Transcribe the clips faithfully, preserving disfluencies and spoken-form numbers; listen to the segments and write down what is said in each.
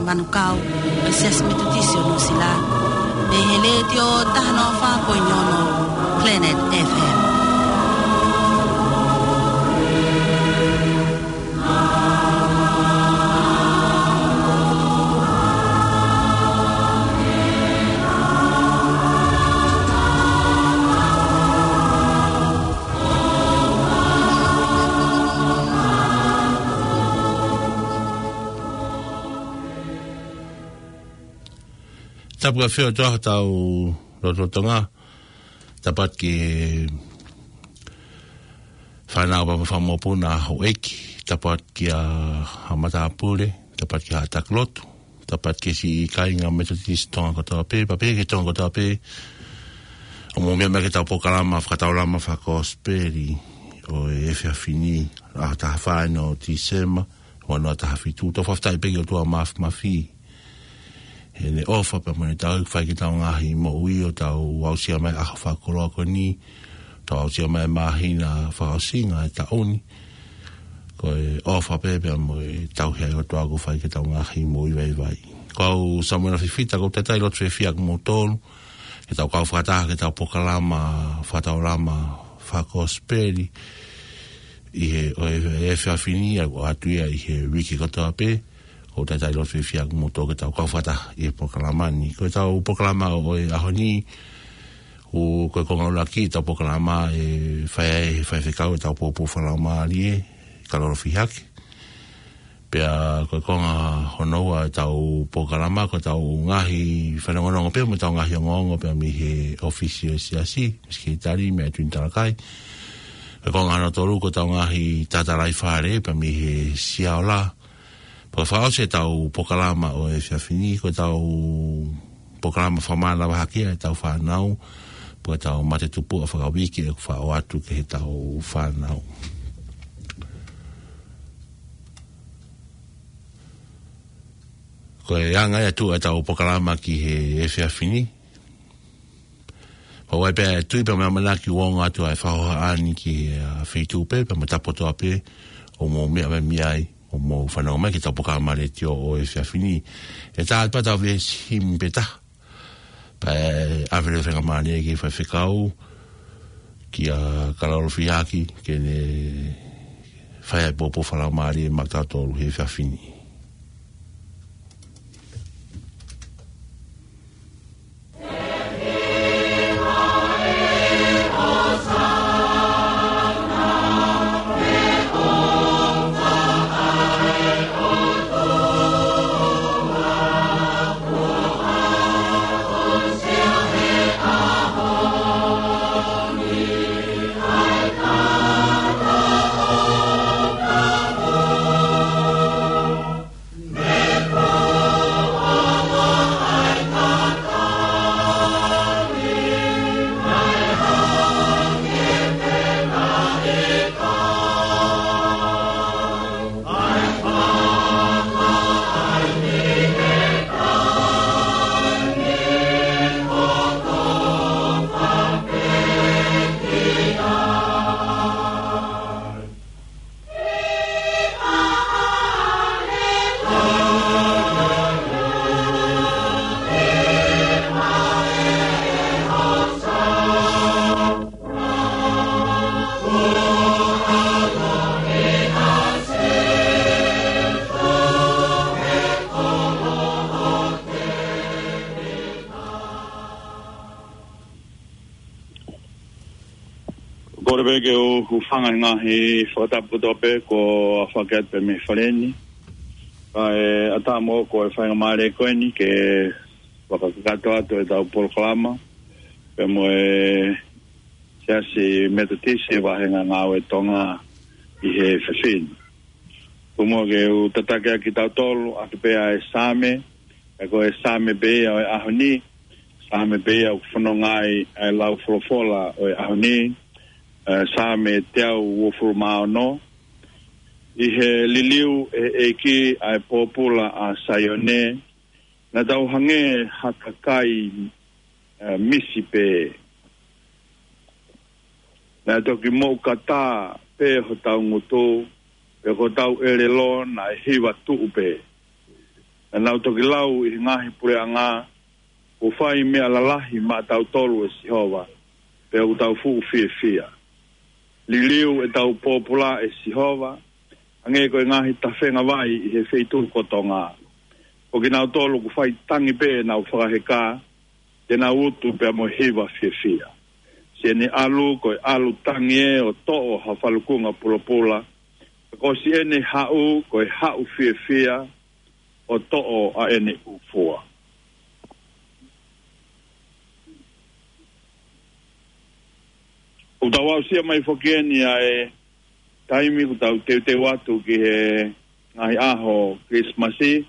Manukau, ʻo e Siasi Metotisi ʻo Nuʻusila, mei he Letiō taha noa fā poini ono Planet F M. Tapu ʻa e ʻOtua ʻi hotau lotolotonga. Tapu atu ki he fānau pea mo e fanga mokopuna, houʻeiki. Tapu atu kia haʻa matāpule. Tapu atu ki haʻa taki lotu. Tapu atu ki he siʻi kāinga Metotisi Tonga kotoa pē, pea pehē ki he Tonga kotoa pē, ʻoku mou meʻa mai ki heʻetau polokalama fakataulama fakakosipeli ʻo e efiafi ni, ʻaho taha fā ʻo Tīsema, ua noa taha fitu. Tau fakafetaʻi pē ki he ʻOtua Māfimafi, heʻene ʻofa pea mo ʻene tauhi, fai ki heʻetau ngaahi moʻui, ʻo tau aʻusia mai e ʻaho fakakoloa ko eni, tau aʻusia mai e māhina fakaʻosinga ʻo e taʻu ni. Ko e ʻofa pē pea mo e tauhi ʻa e ʻOtua ʻoku fai ki heʻetau ngaahi moʻui vaivai. Ko au Samuela Fifita, ʻoku ou talitali lotu fiefia kimoutolu, ke tau kau fakataha ki heʻetau polokalama fakataulama fakakosipeli ʻi he, ʻo e, e efiafi ni, ʻa ia ʻoku ʻoatu ia ʻi he uike kotoa pē. ʻOku ou talitali lotu fiefia kimoutolu ke tau kau fakataha ʻi he polokalama ni. Ko ʻetau polokalama ʻo e ʻaho ni, ʻoku, ko e konga ʻuluaki ʻetau polokalama ʻe fai ai ʻe he faifekau ʻetau pōpoaki fakalaumālie, Kalolo Fihaki. Pea ko e konga hono ua ʻetau polokalama, ko ʻetau ngaahi fanongonongo pea mo ʻetau ngaahi ongoongo pea mei he ʻōfisi ʻo e Siasi, mei he Sekelitali, meia Tuini Talakai. Ko e konga hono tolu, ko ʻetau ngaahi tatalaifale pea mei he Siaola. Pea fakaʻosi ʻetau polokalama ʻo e efiafi ni, ko ʻetau polokalama fakamānava hake ʻa ʻetau fānau, pea ko ʻetau matetupuʻa fakauike ʻoku faʻo atu ki heʻetau fānau. Ko e anga ia ʻetau polokalama ki he efiafi ni. Pea ʻoku ʻi ai pē ʻa e tui pea mo e ʻamanaki ʻoku ongo atu ʻa e fakahohaʻa ni ki he, ʻa, feituʻu pē pea mo e tapa kotoa pē ʻoku mou meʻa mai mei ai, ʻoku mou fanongo mai ki heʻetau polokalama letiō ʻo e efiafi ni. ʻE tala atu pē ʻetau veesi himi pē taha, pea ʻe ʻave leva e faingamālie ki he faifekau, kia Kalolo Fihaki, ke ne fai ai e pōpoaki fakalaumālie maʻa kitautolu he efiafi ni. Kole pē ke u hūfanga he ngaahi fakatapu kotoa pē kuo fakahoko atu pē mei he fale ni. Kae ʻatā moʻoku e faingamālie ko eni ke fakakakato atu ʻetau polokalama pea mo e Siasi Metotisi Vāhenga Ngāue Tonga ʻi he efiafi ni. Tuku muʻa ke u tataki ʻaki kitautolu ʻaki pē ʻa e Saame, ʻa ia ko e Saame pē ia ʻo e ʻaho ni, Saame pē ia ʻoku fononga ai ʻa e lau folofola ʻo e ʻaho ni, ʻa e Saame teau uofulu mā ono. ʻI he liliu ʻe he ʻEiki ʻa e pōpula ʻa Saione, naʻa tau hangē ha kakai, ʻa, misi pē. Naʻe toki moʻukata pē hotau ngutu, pea ko hotau ʻelelo naʻe hiva tuʻu pē. Naʻa nau toki lau ʻi he ngaahi puleʻanga, kuo fai meʻa lalahi maʻatautolu ʻe Sihova, pea ʻoku tau fuʻu fiefia. Liliu ʻetau pōpula ʻe Sihova, hangē ko e ngaahi tafenga vai ʻi he feituʻu ko Tonga. Ko kinautolu ʻoku fai tangi pē ʻenau fakaheka, te nau utu pea mo e hiva fiefia. Siʻene ʻalu ko e ʻalu tangi ē ʻo toʻo ha falukunga pulapula. Ko siʻene haʻu ko e haʻu fiefia ʻo toʻo ʻa ʻene ʻū fua. ʻOku tau aʻusia mai foki eni ʻa e taimi ʻoku tau teuteu atu ki he ngaahi ʻaho Kilisimasi,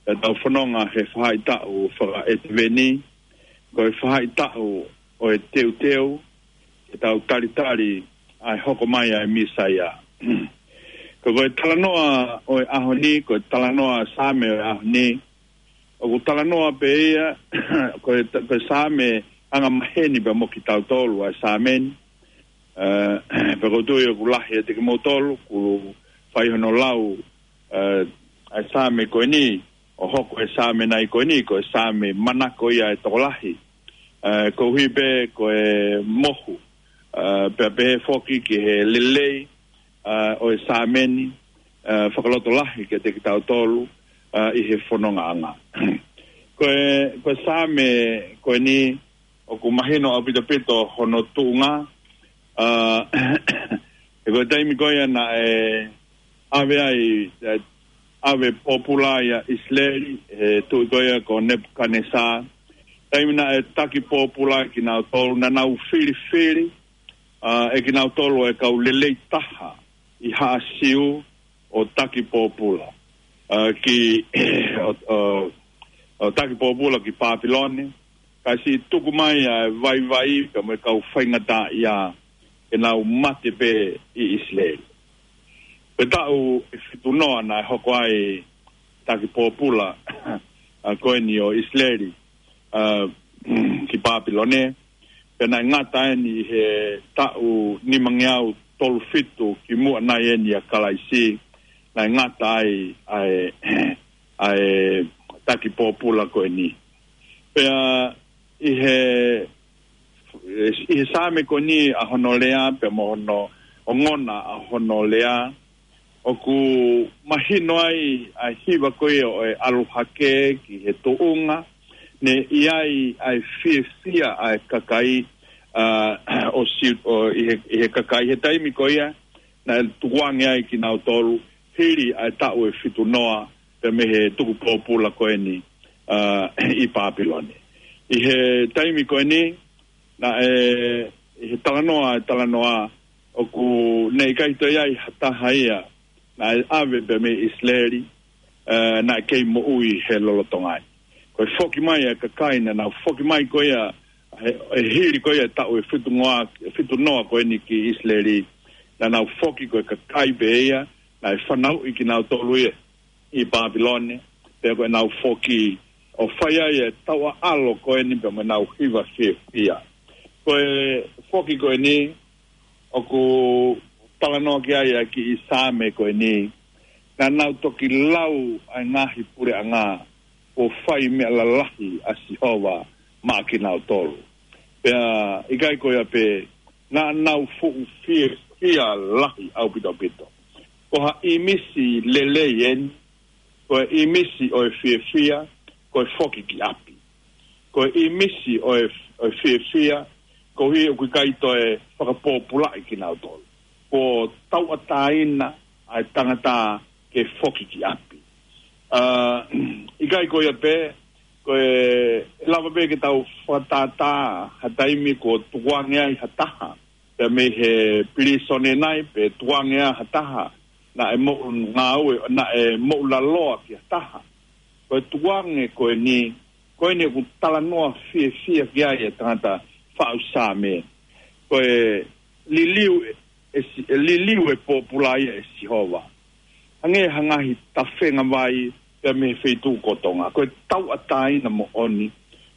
ʻetau fononga he faʻahitaʻu fakaʻēteveni, ko e faʻahitaʻu ʻo e teuteu, ke tau talitali ʻa e hoko mai ʻa e Mīsaia. Ko, ko e talanoa ʻo e ʻaho ni, ko e talanoa Saame ʻo e ʻaho ni, ʻoku talanoa pē ia, ko e, ko e Saame angamaheni pē mo kitautolu ʻa e Saame ni, ē, pea ʻoku ou tui ʻoku lahi ʻiate kimoutolu, ʻoku fai hono lau, ē, ʻa e Saame ko eni, ʻo hoko e Saame nai ko eni, ko e Saame manako ia ʻa e tokolahi. Ē, koeʻuhi pē ko e mohu, ē, pea pehē foki ki he lelei, ē, ʻo e Saame ni, ē, fakalotolahi kiate kitautolu, ē, ʻi he fonongaʻanga. Ko e, ko e Saame ko eni, ʻoku mahino ʻaupito ʻaupito hono tuʻunga, ā, he ko e taimi ko ia naʻe ʻave ai, ē, ʻave pōpula ʻa ʻIsileli, he tuʻi ko ia ko Nepukanesa. Taimi naʻe taki pōpula kinautolu, naʻa nau filifili, ā, ʻe kinautolu ʻa e kau lelei taha ʻi Haʻa Siu ʻo taki pōpula. Ā, ki, ʻo, ʻo, ʻo taki pōpula ki Pāpilone, ka siʻi tuku mai ʻa e vaivai pea mo e kau faingataʻaʻia ke nau mate pē ʻi ʻIsileli. Ko e taʻu ʻe fitu noa naʻe hoko ai taki pōpula, ā, ko eni ʻo ʻIsileli, ā, ki Pāpilone, pea naʻe ngata eni he taʻu nimangeau tolu fitu kimuʻa nai eni ʻa Kalaisi, naʻe ngata ai ʻa e, ʻa e taki pōpula ko eni. Pea ʻi he, ʻi he Saame ko eni ʻa hono lea, pea mo hono ongona ʻa hono lea, ʻoku mahino ai ʻa e hiva ko ia ʻo e ʻalu hake ki he tuʻunga, naʻe ʻi ai ʻa e fiefia ʻa e kakai, ā, ʻo Siu-, ʻo ʻi he, ʻi he kakai he taimi ko ia, naʻe tukuange ai kinautolu, hili ʻa e taʻu ʻe fitu noa, pea mei he tuku pōpula ko eni, ā, ʻi Pāpilone. ʻI he taimi ko eni, naʻe, ʻi he talanoa, talanoa, ʻoku ne ʻikai toe ʻi ai ha taha ia, naʻe ʻave pē mei ʻIsileli, ē, naʻe kei moʻui he lolotonga ni. Ko e foki mai ʻa e kakai naʻa nau foki mai ko ia, he, he hili ko ia taʻu ʻe fitu noa, fitu noa ko eni ki ʻIsileli, naʻa nau foki ko e kakai pē ia, naʻe fanauʻi kinautolu ia ʻi Pāpilone, pea ko ʻenau foki ʻo fai ai e tauʻaʻalo ko eni pea mo ʻenau hiva fiefia. Ko e foki ko eni, ʻoku talanoa ki ai ʻa e kiʻi Saame ko eni, naʻa nau toki lau ʻa e ngaahi puleʻanga, kuo fai meʻa lalahi ʻa Sihova maʻa kinautolu. Pea ʻikai ko ia pē, naʻa nau fuʻu fiefia lahi ʻaupito ʻaupito. Ko ha ʻīmisi lelei eni, ko e ʻīmisi ʻo e fiefia, ko e foki ki ʻapi. Ko e ʻīmisi ʻo e, ʻo e fiefia, koeʻuhi ʻoku ʻikai toe fakapōpulaʻi kinautolu. Kuo tauʻatāina ʻa e tangata ke foki ki ʻapi. Ā, ʻikai ko ia pē, ko e, ʻe lava pē ke tau fakatātā ha taimi kuo tukuange ai ha taha, pea mei he pilīsone nai, pe tukuange ai ha taha, naʻe moʻu ngāue, naʻe moʻulaloa ki ha taha. Ko e tukuange ko eni, ko eni ʻoku talanoa fiefia ki ai e tangata faʻu Saame. Ko e liliu ʻe, ʻe Si-, ʻe liliu e pōpula ia ʻe Sihova. Hangē ha ngaahi tafenga vai pea mei he feituʻu ko Tonga. Ko e tauʻatāina moʻoni,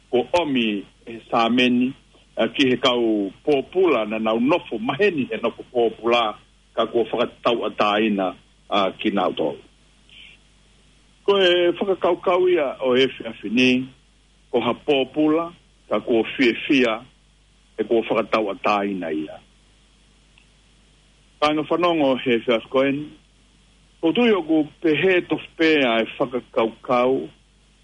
kuo ʻomi ʻe he Saame ni, ā, ki he kau pōpula naʻa nau nofo maheni he nofo pōpula, ka kuo fakatauʻatāina, ā, kinautolu. Ko e fakakaukau ia ʻo e efiafi ni, ko ha pōpula, ka kuo fiefia, he kuo fakatauʻatāina ia. Kāinga fanongo he efiafi ko eni, ʻoku ou tui ʻoku pehē tofu pē ʻa e fakakaukau,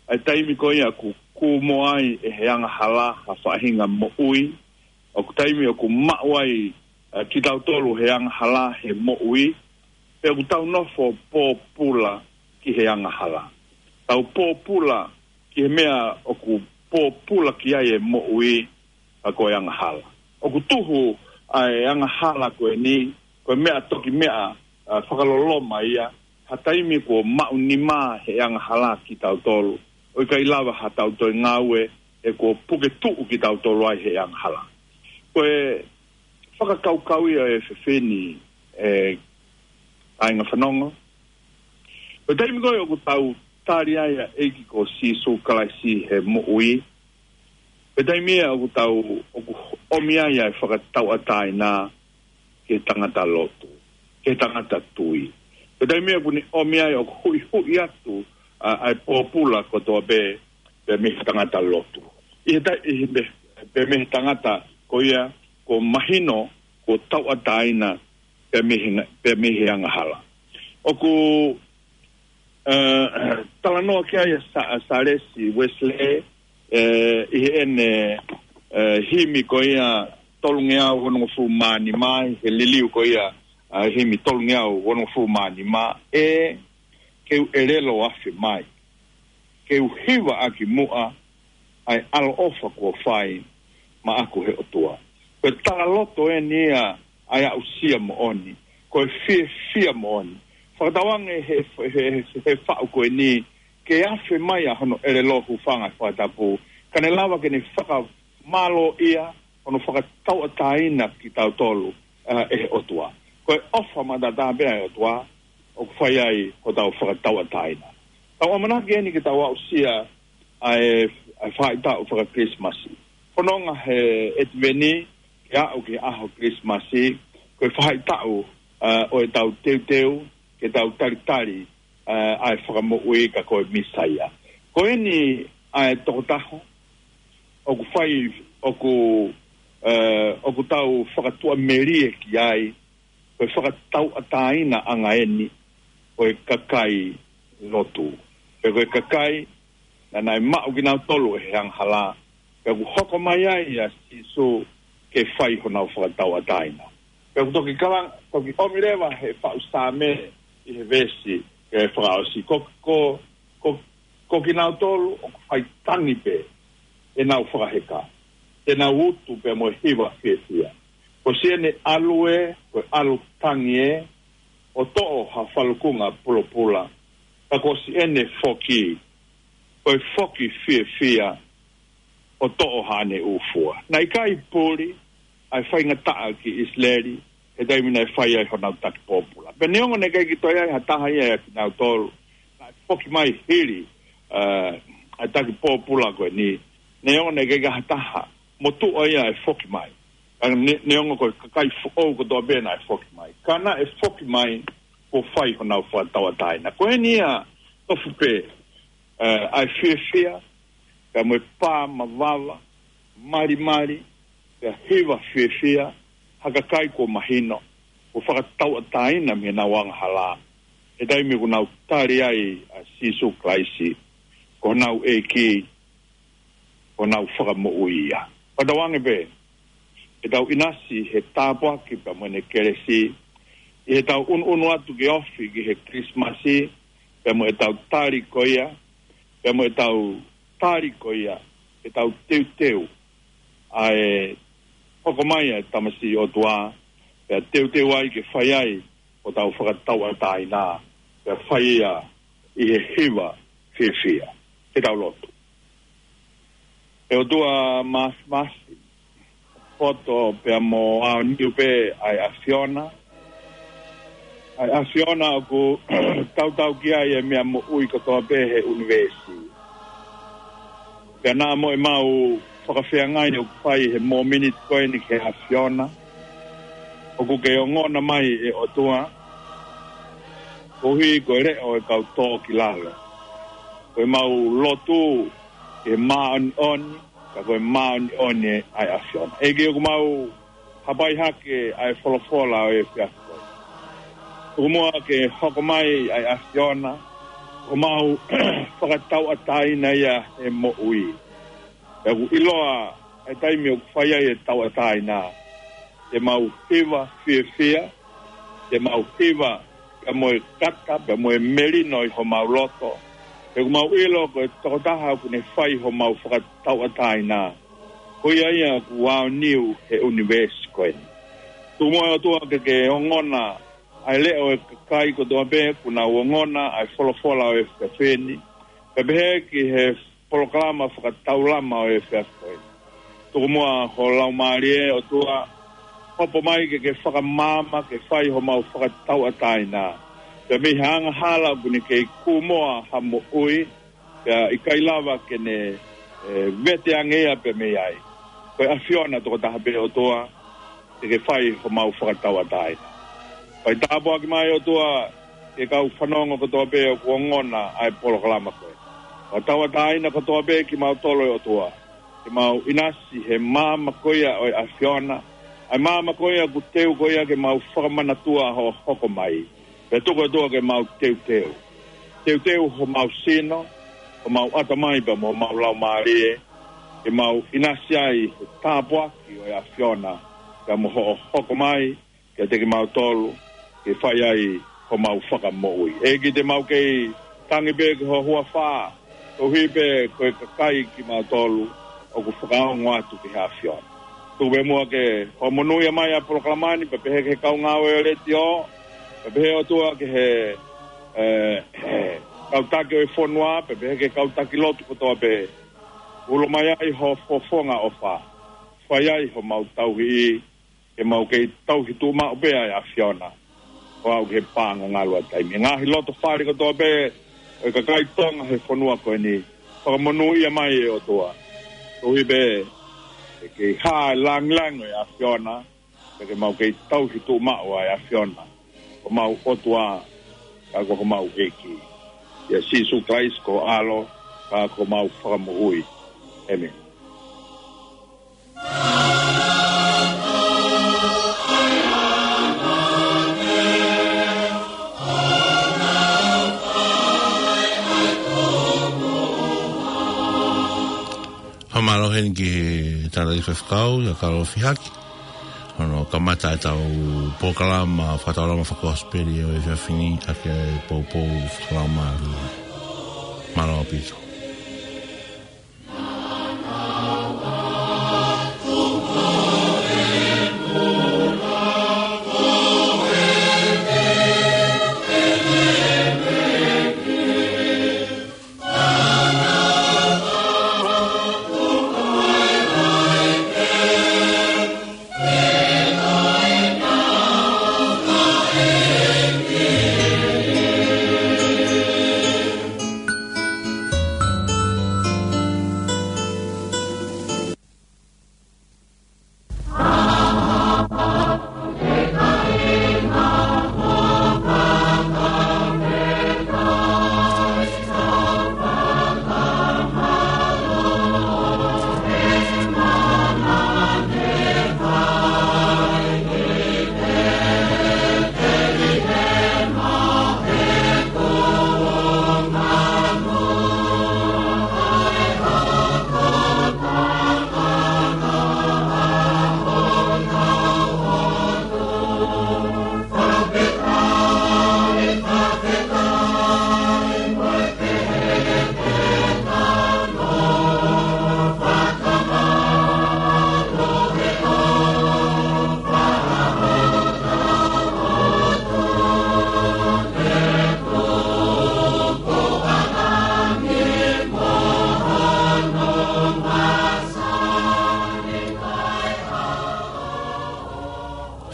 ʻa e taimi ko ia ʻoku kū mo ai ʻe he angahala ha faʻahinga moʻui, ʻoku taimi ʻoku maʻu ai, ʻa, kitautolu he angahala he moʻui, pea ʻoku tau nofo pōpula ki he angahala. Tau pōpula ki he meʻa ʻoku pōpula ki ai e moʻui, ʻa, ko e angahala. ʻOku tuhu ʻa e angahala ko eni, ko e meʻa toki meʻa, ʻa, fakaloloma ia, ha taimi kuo maʻunimā he angahala kitautolu. ʻOku ʻikai lava ha tau toe ngāue, he kuo puke tuʻu kitautolu ai he angahala. Ko e fakakaukau ia ʻo e efiafi ni, ʻe kāinga fanongo. Ko e taimi ko ē ʻoku tau tali ai ʻa e ʻEiki ko Sīsū Kalaisi he moʻui. Ko e taimi ia ʻoku tau, ʻoku ʻomi ai ʻa e fakatauʻatāina ki he tangata lotu, ki he tangata tui. Ko e taimi ia ʻoku ne ʻomi ai ʻoku huʻihuʻi atu, ʻa, ʻa e pōpula kotoa pē, pē mei he tangata lotu. ʻI he ta-, ʻi he pē, pē mei he tangata ko ia, kuo mahino, kuo tauʻatāina, pē mei he nga-, pē mei he angahala. ʻOku, ʻe, talanoa ki ai ʻa Sa-, ʻa Sālesi Uesilē, ʻe, ʻi heʻene, ʻe, himi ko ia tolungeau onongofulu mā nima, he liliu ko ia, ʻa, himi tolungeau onongofulu mā nima, ʻE, ke u ʻelelo afe mai, ke u hiva ʻaki muʻa ʻa e ʻaloʻofa kuo fai maʻaku he ʻOtua. Ko e talaloto eni ia ʻa e aʻusia moʻoni, ko e fiefia moʻoni. Fakatauange he, he, he, he faʻu ko eni, ke afe mai ʻa hono ʻelelo, hūfanga he fakatapu, ka ne lava ke ne fakamālōʻia hono fakatauʻatāina kitautolu, ʻa, ʻe he ʻOtua. Ko e ʻofa matata pē ʻa e ʻOtua, ʻoku fai ai hotau fakatauʻatāina. Tau ʻamanaki eni ke tau aʻusia ʻa e, ʻa e faʻahitaʻu faka-Kilisimasi. Fononga he ʻEtiveni, ke aʻu ki he ʻaho Kilisimasi, ko e faʻahitaʻu, ʻa, ʻo ʻetau teuteu, ke tau talitali, ʻa, ʻa e Fakamoʻui ka ko e Mīsaia. Ko eni ʻa e tokotaha, ʻoku fai, ʻoku, ʻe, ʻoku tau fakatuʻamelie ki ai, ko e fakatauʻatāina ʻanga eni ʻo e kakai lotu. Pea ko e kakai, naʻa nau maʻu kinautolu ʻe he angahala, pea kuo hoko mai ai ʻa Sīsū ke fai honau fakatauʻatāina. Pea kuo toki kala, toki ʻomi leva he faʻu Saame ʻi he veesi, ʻe fakaʻosi. Ko, ko, ko, ko kinautolu ʻoku fai tangi pē ʻenau fakaheka, ʻenau utu pea mo e hiva fiefia. Ko siʻene ʻalu ē, ko e ʻalu tangi ē, ʻo toʻo ha falukunga pulopula. Ka ko siʻene foki, ko e foki fiefia, ʻo toʻo haʻane ʻū fua. Naʻe ʻikai puli ʻa e faingataʻa ki ʻIsileli, he taimi naʻe fai ai honau taki pōpula. Pea neongo naʻe ʻikai ke toe ʻi ai ha taha ia ʻiate kinautolu, naʻe foki mai hili, ʻa, ʻa e taki pōpula ko eni. Neongo naʻe ʻikai ke ʻi ai ha taha motuʻa ia ʻe foki mai. Ka ne-, neongo ko e kakai foʻou kotoa pē naʻe foki mai. Ka naʻe foki mai, kuo fai honau fakatauʻatāina. Ko eni ia tofu pē, ʻe, ʻa e fiefia, pea mo e pā mavava, malimali, pea hiva fiefia, ha kakai kuo mahino, kuo fakatauʻatāina mei heʻenau angahala, he taimi kuo nau tali ai ʻa Sīsū Kalaisi ko honau ʻEiki, ko honau Fakamoʻui ia. Fakatauange pē, ke tau ʻinasi he tāpuaki pea mo ʻene kelesi, ʻi heʻetau ʻunuʻunu atu ke ofi ki he Kilisimasi, pea mo ʻetau tali ko ia, pea mo ʻetau tali ko ia, ʻetau teuteu ʻa e hoko mai ʻa e tamasiʻi ʻOtua, pea teuteu ai ke fai ai hotau fakatauʻatāina, pea fai ia ʻi he hiva fiefia. Ke tau lotu. ʻE ʻOtua māfimafi, poto pea mo aoniu pē ʻa e ʻAfiona, ʻa e ʻAfiona ʻoku tautau ki ai e meʻa moʻui kotoa pē he ʻunivēsi. Pea naʻa mo ʻemau fakafeangai ʻoku fai he mōmeniti ko eni ki he ʻAfiona, ʻoku ke ongona mai ʻe ʻOtua, koeʻuhi ko e leʻo ʻo e kau tō ki lalo. ko ʻemau lotu ke māʻoniʻoni, ka ko e māʻoniʻoni ʻa e ʻAfiona. ʻEiki, ʻoku mau hapai hake ʻa e folofola ʻo e efiafi ko eni. Tuku muʻa ke hoko mai ʻa e ʻAfiona, ʻoku mau fakatauʻatāina ia he moʻui. Pea ʻoku ʻiloa ʻa e taimi ʻoku fai ai e tauʻatāina, te mau hiva fiefia, te mau hiva pea mo e kaka, pea mo e melino ʻi homau loto. He ʻoku mau ʻilo ko e tokotaha ʻoku ne fai homau fakatauʻatāina, ko ia ia ʻoku aoniu he ʻunivēsi ko eni. Tuku muʻa ʻOtua ke ke ongona ʻa e leʻo ʻo e kakai kotoa pē kuo nau ongona ʻa e folofola ʻo e efiafi ni, pea pehē ki he polokalama fakataulama ʻo e efiafi ko eni. Tuku muʻa ho Laumālie ʻOtua, hopo mai ke ke fakamaama ke fai homau fakatauʻatāina. Pea mei he angahala ʻoku ne kei kūmoa ha moʻui, pea ʻikai lava ke ne, e, vete ange ia pea mei ai. Ko e ʻAfiona tokotaha pē ʻOtua, te ke fai homau fakatauʻatāina. Fai tāpuaki mai ʻOtua ki he kau fanongo kotoa pē ʻoku ongona ʻa e polokalama ko eni. Fakatauʻatāina kotoa pē kimautolu ʻe ʻOtua, ke mau ʻinasi he maama ko ia ʻo e ʻAfiona, ʻa e maama ko ia ʻoku teu ko ia ke mau fakamanatua hoʻo hoko mai. Pea tuku ʻOtua ke mau teuteu. Teuteu homau sino, homau ʻatamai pea mo homau laumālie, ke mau ʻinasi ai he tāpuaki ʻo e ʻAfiona, pea mo hoʻo hoko mai kiate kimautolu, ke fai ai homau fakamoʻui. ʻEiki, te mau kei tangi pē ki ho huafa, koeʻuhi pē ko e kakai kimautolu ʻoku fakaongo atu ki he ʻAfiona. Tuku pē muʻa ke hoʻo monūʻia mai ʻa e polokalama ni, pea pehē ki he kau ngāue ʻo e letiō, pea pehē ʻOtua ki he, e, kau taki ʻo e fonua, pea pehē ki he kau taki lotu kotoa pē. Ulo mai ai ho fofonga ʻofa. Fai ai homau tauhi, ke mau kei tauhi tuʻumaʻu pē ʻa e ʻAfiona, ʻo aʻu ki he paʻanga ngalu ʻa e taimi. Ngaahi loto fale kotoa pē ʻo e kakai Tonga he fonua ko eni, fakamonūʻia mai ʻe ʻOtua. Koeʻuhi pē ke kei hā e langilangi ʻo e ʻAfiona, pea ke mau kei tauhi tuʻumaʻu ʻa e ʻAfiona, ko homau ʻOtua, ka ko homau ʻEiki. ʻIa Sīsū Kalaisi ko ho ʻAlo, ka ko homau Fakamoʻui. ʻĒmeni. Fakamālō heni ki he tangataʻeiki faifekau, ʻia Kalofi Haki. Hono kamata ʻetau polokalama fakataulama fakakosipeli ʻo e efiafi ni, ʻaki e poupou fakalaumālie. Mālō ʻaupito.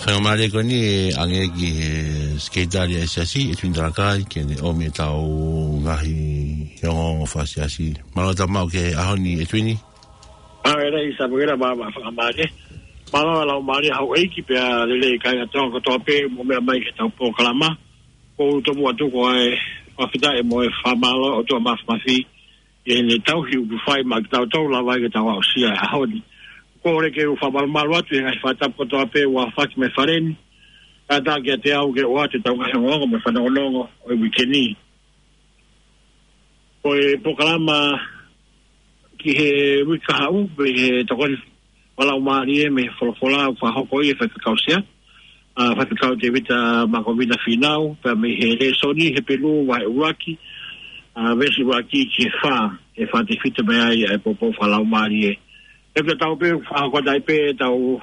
Faingamālie ko eni ʻe ʻange ki he sekelitali ʻa e siasi, ʻEtuini Talakai, ke ne ʻomi ʻetau ngaahi ongoongo fakasiasi. Mālō e tau maʻu ki he ʻaho ni, ʻEtuini. Mālō e lei Samuela, mālō e fakamālō. Mālō e laumālie houʻeiki pea lelei kāinga Tonga kotoa pē ʻoku mou meʻa mai ki heʻetau polokalama. ʻOku ou tomuʻa tuku ʻa e fakafetaʻi mo e fakamālō ʻOtua Māfimafi. ʻi heʻene tauhi ʻoku fai maʻa kitautolu, lava ai ke tau aʻusia e ʻaho ni. Kole ke u fakamalumalu atu he ngaahi fakatapu kotoa pē ʻoku aofaki mei he fale ni. Kātaki ʻiate au ke ʻoatu ʻetau ngaahi ongoongo mo e fanongonongo ʻo e uike ni. Ko e polokalama ki he uike kahaʻu, pea ʻi he tokoni fakalaumālie mei he folofola ʻoku fakahoko ʻi he faifekau sea, ʻa, Faifekau Tēvita Makovina Fīnau, pea mei he lēsoni Hepelū vahe ʻuluaki, ʻa, veesi ʻuluaki ki he fā, ʻe fakatefito mei ai ʻa e poupou fakalaumālie. ʻE pea tau pē fakahoko atu ai pē ʻetau,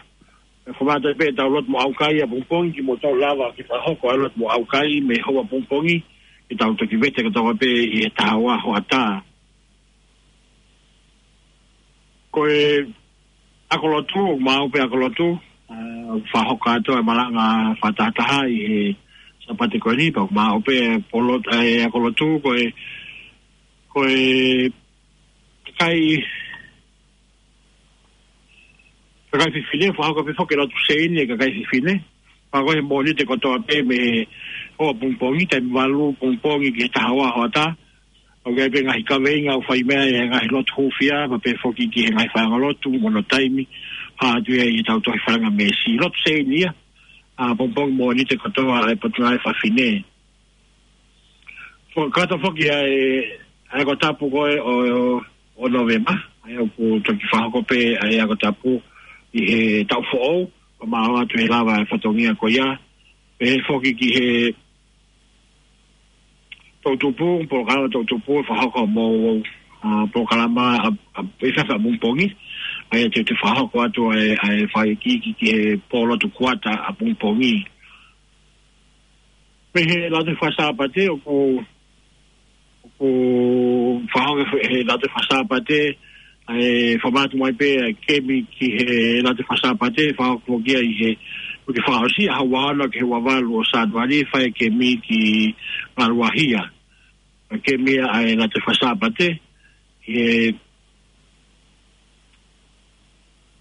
ʻe fakahoko atu ai pē ʻetau lotu mo ʻaukai ʻapongipongi, kimoutolu lava ke fakahoko ʻa e lotu mo ʻaukai mei he houa ʻapongipongi, ke tau toki vete kotoa pē ʻi he taha ua hoʻatā. Ko e ako lotu, ʻoku maʻu pē ako lotu, ʻa, fakahoko atu e malanga fakatahataha ʻi he Sāpate ko eni, pea ʻoku maʻu pē polotu, ʻa e ako lotu, ko e, ko e kakai, kakai fefine, fakahoko pē foki e lotu seini e kakai fefine. Fakahoko he Mōnite kotoa pē mei he houa ʻapongipongi, taimi valu ʻapongipongi ki he taha ua hoʻatā. ʻOku ʻi ai pē ngaahi kaveinga ʻoku fai mei ai e ngaahi lotu hūfia, pea pehē foki ki he ngaahi faiʻanga lotu mo hono taimi, hā atu ia ʻi heʻetau tohi falangamesi. Lotu seini ia, ʻapongipongi Mōnite kotoa ʻa e Potungāue Fafine. Fo-, kakato foki ʻa e, ʻa e ako tapu ko ē ʻo, ʻo, ʻo Nōvema, ʻa ia ʻoku toki fakahoko pē ʻa e ako tapu ʻi he taʻu foʻou, ʻo maʻu atu he lava e fatongia ko ia, pehē foki ki he toʻutupu, polokalama toʻutupu, fakahoko mo, ʻa, polokalama ʻa, ʻa, ʻi he efiafi ʻapongipongi, ʻa ia te, te fakahoko atu ʻa e, ʻa e fakaikiiki ki he pōlotu kuata ʻapongipongi. Mei he Lautohi Fakasāpate, ʻoku, ʻoku fakahoko he, he Lautohi Fakasāpate, ʻa e fakamanatu mai pē ʻa e kemi ki he Lautohi Fakasāpate, fakahoko foki ia ʻi he uike fakaʻosi, ʻaho ua ono ki he ua valu ʻo Sānuali, fai e kemi ki Ngaluahia. ʻA e kemi ia ʻa e Lautohi Fakasāpate, he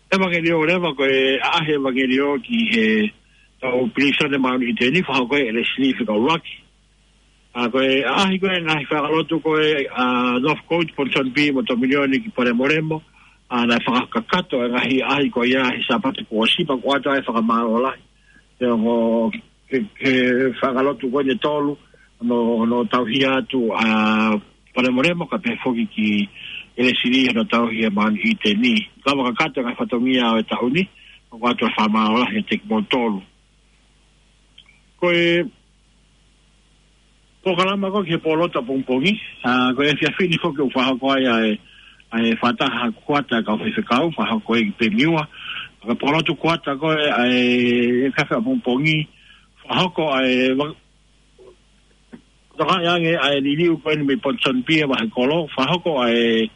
ʻevangeliō leva ko e ʻaʻahi ʻevangeliō ki he tau pilīsone Māʻoniʻite ni, fakahoko ʻe Leslie Fikaulaki. ʻA, ko e ʻaʻahi ko ē ngaahi faiʻanga lotu ko ē ʻa Northcote, Ponsonby mo Tominioni ki Palemolemo, ʻa, naʻe fakakakato e ngaahi ʻaʻahi ko ia he Sāpate kuo ʻosi pea kuo ʻoatu ai e fakamālō lahi. He ongo, he, he faiʻanga lotu ko eni ʻe tolu, hono, hono tauhi atu ʻa Palemolemo kae pehē foki ki ʻElesili hono tauhi ʻa Māʻoniʻite ni. Lava kakato e ngaahi fatongia ʻo e taʻu ni, ʻoku ʻoatu e fakamālō lahi kiate kimoutolu. Ko e polokalama ko ē ki he pōlotu ʻapongipongi, ʻa, ko e efiafi ni foki ʻoku fakahoko ai ʻa e, ʻa e fakataha kuata ʻa e kau faifekau, fakahoko ʻi Pemiua. Ko e pōlotu kuata ko ē ʻa e efiafi ʻapongipongi, fakahoko ʻa e va-, toka ange ʻa e liliu ko eni mei Ponsonby ʻa e vahekolo, fakahoko ʻa e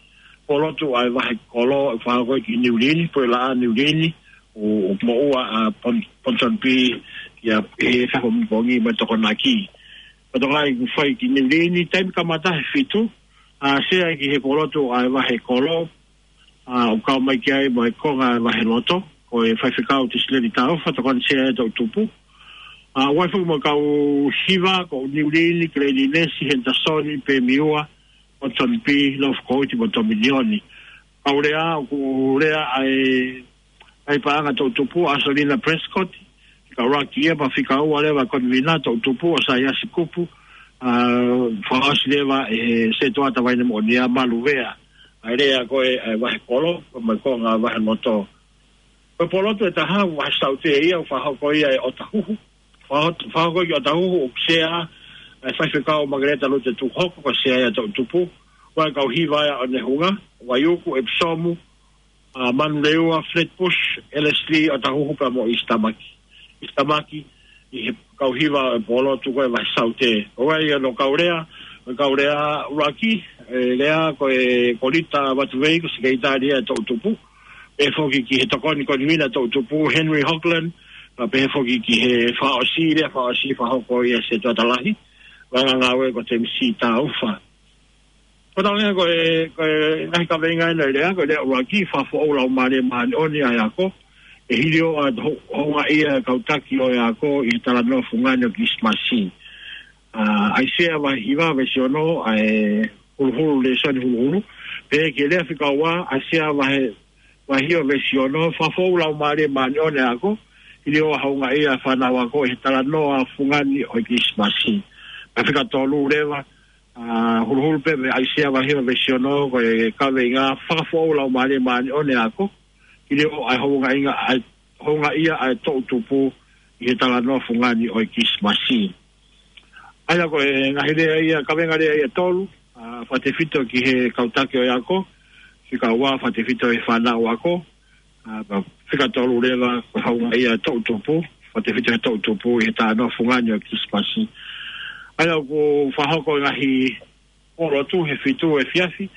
pōlotu ʻa e vahekolo, fakahoko ʻi Niu Lini, Puleʻanga Niu Lini, ʻo, ʻo moʻua ʻa Pon-, Ponsonby ia he efiafi ʻapongipongi mo e Tokonaki. Ko e toka ʻoku fai ki Niu Lini, taimi kamata he fitu, ʻa, sea ki he pōlotu ʻa e vahekolo, ʻa, ʻoku kau mai ki ai mo e konga ʻa e vaheloto, ko e faifekau Tisileni Taufa, tokoni sea ʻa e toʻutupu. ʻA, ʻoku ʻi ai foki mo e kau hiva, ko Niu Lini, Kilei Linesi, Hentasoni, Pemiua, Ponsonby, Northcote mo Tominioni. Kau lea, ʻoku lea ʻa e, ʻa e paʻanga toʻutupu, ʻa Selina Prescott, Fikaulaki ia, pea fika ua leva ko e konivina toʻutupu ʻa Saiasi Kupu, ʻa, fakaʻosi leva ʻe he Setuata Vaine Moʻonia Maluvea. ʻA e lea ko ē ʻa e vahekolo, mo e konga vaheloto. Ko e pōlotu ʻe taha, vahe saute ia, ʻoku fakahoko ia ʻi ʻOtahuhu. Fakahoko, fakahoko ʻi ʻOtahuhu ʻoku sea ʻa e faifekau Makeleta Lute Tuhoko, ko e sea ia ʻa e toʻutupu. ʻOku ʻi ai e kau hiva ia ʻo Nehunga, Vaiuku, ʻEpisomu, ʻa, Manurewa, Flatbush, ʻElesili, ʻOtahuhu pea mo ʻIsitamaki. ʻIsitamaki, ʻi he kau hiva ʻo e pōlotu ko ē vahe saute. ʻOku ʻi ai hono kau lea, ʻo e kau lea ʻuluaki, ʻe lea ko ē Kolita Vatuvei, ko e sekelitali ia ʻa e toʻutupu. Pehē foki ki he tokoni konivina toʻutupu, Henry Hogland, pea pehē foki ki he fakaʻosi, lea fakaʻosi fakahoko ia ʻe he Setuata Lahi, Vaʻa Ngāue ko Temisi Taufa. Ko e tau lea ko e, ko e ngaahi kaveinga ʻena ʻi he lea, ko e lea ʻuluaki, fakafoʻou Laumālie Māʻoniʻoni ʻa e ako. ʻE hili ʻa e ho-, houngaʻia ʻa e kau taki ʻo e ako ʻi he talanoa fungani ʻo Kilisimasi. ʻA, ʻAisea vahe hiva veesi ono, ʻa e Huluhulu, Lēsoni Huluhulu. Pea ki he lea fika ua, ʻAisea vahe, vahe hiva veesi ono, Fakafoʻou Laumālie Māʻoniʻoni ʻo e Ako, hili ʻa e houngaʻia ʻa e fānau ako ʻi he talanoa fungani ʻo e Kilisimasi. Pea fika tolu leva, ʻa, huluhulu pē mei ʻAisea vahe hiva veesi ono, ko e kaveinga Fakafoʻou Laumālie Māʻoniʻoni ʻo e Ako, hili ʻa e houngaʻia, ʻa e houngaʻia ʻa e toʻu tupu ʻi he talanoa fungani ʻo e Kilisimasi. ʻA ia ko e ngaahi lea ia, kaveinga lea ia ʻe tolu, ʻa, fakatefito ki he kau taki ʻo e ako, fika ua fakatefito he fānau ako, ʻa, pea fika tolu leva ko e houngaʻia ʻa e toʻu tupu, fakatefito he toʻu tupu ʻi he talanoa fungani ʻo e Kilisimasi. ʻA ia ʻoku fakahoko e ngaahi pōlotu he fitu efiafi.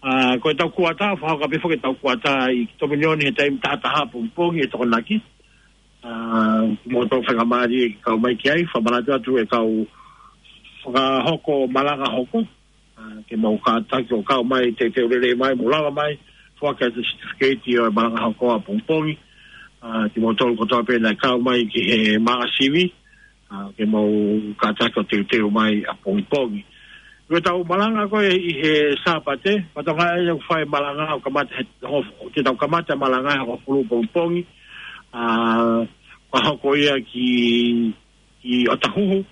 ʻA, ko ʻetau kuata, fakahoko pē foki ʻetau kuata ʻi Tominoni he taimi taha taha pongipongi ʻi he Tokonaki. ʻA, kimoutolu faingamālie ke kau mai ki ai, fakamanatu atu e kau fakahoko malanga hoko. ʻA, ke mou kātaki ʻo kau mai, teuteu lelei mai, mou lava mai, foaki atu e certificate ʻo e malanga hoko ʻapongipongi. ʻA, kimoutolu kotoa pē naʻe kau mai ki he māʻasivi, ʻa, ke mou kātaki ʻo teuteu mai ʻapongipongi. Ko ʻetau malanga ko ē ʻi he Sāpate, pea ʻoku ʻi ai ʻetau fai malanga ʻoku kamata he, ho-, te tau kamata malanga he hongofulu pongipongi, ʻa, fakahoko ia ki, ki ʻOtahuhu,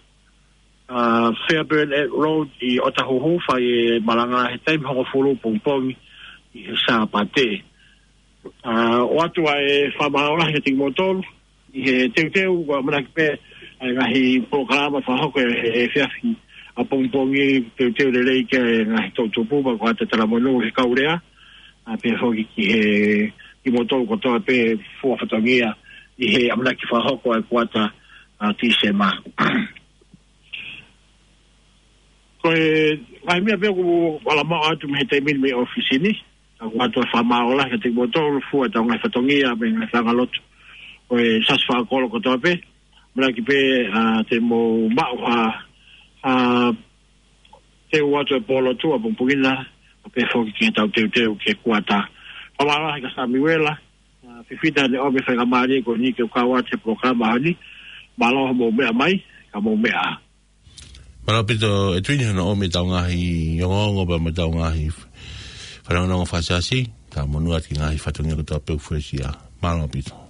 ʻa, Fairburn Road ʻi ʻOtahuhu, fai e malanga he taimi hongofulu pongipongi ʻi he Sāpate. ʻA, ʻoatu ʻa e fakamālō lahi kiate kimoutolu ʻi he teuteu, ʻoku ʻamanaki pē ʻa e ngaahi polokalama fakahoko he, he efiafi ʻapongipongi, teuteu lelei ki he ngaahi toʻu tupu, pea ko e ʻata talamonū he kau lea, ʻa, pea foki ki he, kimoutolu kotoa pē fua fatongia ʻi he ʻamanaki fakahoko ʻa e kuata, ʻa, Tīsema. Ko e ngaahi meʻa pē ʻoku ala maʻu atu mei he taimi ni mei ʻōfisi ni. ʻOatu ʻa e fakamālō lahi kiate kimoutolu fua ʻetau ngaahi fatongia mei he ngaahi fanga lotu ʻo e Siasi Fakakolo kotoa pē. ʻAmanaki pē, ʻa, te mou maʻu ha, ha teu atu e pōlotu ʻapongipongi na, pea foki ki heʻetau teuteu ki he kuata. Fakamālō lahi kia Samiuela, ʻa, Fifita, ne ʻomi e faingamālie ko eni ke u kau atu he polokalama ʻaho ni. Mālō hoʻomou meʻa mai, ka mou meʻa ā. Mālō ʻaupito ʻEtuini hono ʻomi ʻetau ngaahi ongoongo pea mo ʻetau ngaahi f-, fanongonongo fakasiasi, talamonū atu ki he ngaahi fatongia kotoa pē ʻoku fuesia. Mālō ʻaupito.